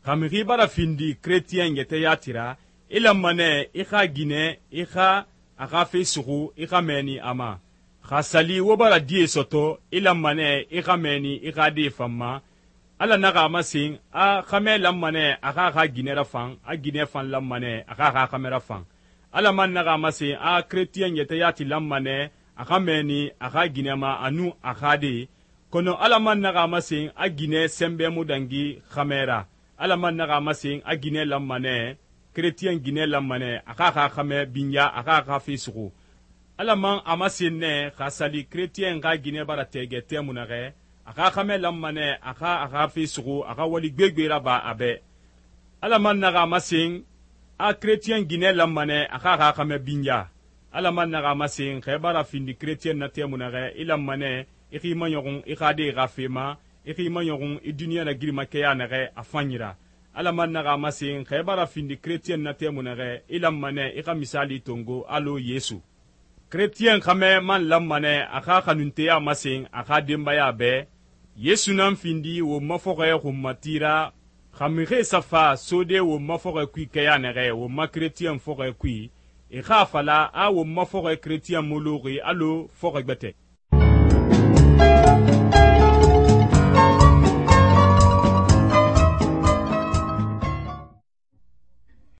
xa mixi bara findi chrétien yɛtɛ yati ra, i lanma nɛ i xa ginɛ i xa a xa fe suxu i xa mɛɛni a ma. xa sali wo bara die sɔtɔ i lanma nɛ i xa mɛɛni i xa die fan ma. Ala naxa a masen a xamɛ lanma nɛ a xa a xa ginɛ rafan, a ginɛ fan lanma nɛ a xa a xa xamɛ rafan. Ala man naxa a masen a chrétien yɛtɛ yati lanma nɛ a xa mɛɛni a xa ginɛ ma a nun a xa de, kɔnɔ Ala man naxa a masen a ginɛ sɛnbɛ mu dangi xamɛ ra. Ala man naxa a masen a ginɛ lanma nɛ, chrétien ginɛ lanma nɛ a xa a xa xamɛ binya a xa a xa fe suxu. Ala man a masen nɛ xa sali chrétien xa ginɛ bara tɛgɛ tɛmu naxɛ, a xa xamɛ lanma nɛ a xa fe suxu a xa wali gbegbe raba a bɛ. Ala man naxa a masen a chrétien ginɛ lanma nɛ a xa a xa xamɛ binya. Ala man naxa a masen xa i bara findi chrétien na tɛmu naxɛ i lanma nɛ i xi maɲɔxun i xa de xa fe ma, i xi maɲɔxun i duniɲa nagirimakɛya naxɛ a fanyi ra. Ala man naxa a masen xa i bara findi chrétien na tɛmu naxɛ i lanma nɛ i xa misali tongo alɔ Yesu. chrétien xamɛ man lanma nɛ a xa xanunteya masen a xa denbaya bɛ. Yesu nan findi won ma fɔxɔɛ xunmati ra, xa mixie sa fa sode won ma fɔxɔɛ kui kɛya naxɛ won ma chrétien fɔxɔɛ kui, e xa a fala a won ma fɔxɔɛ chrétien mu luxi alɔ fɔxɔɛ gbɛtɛ.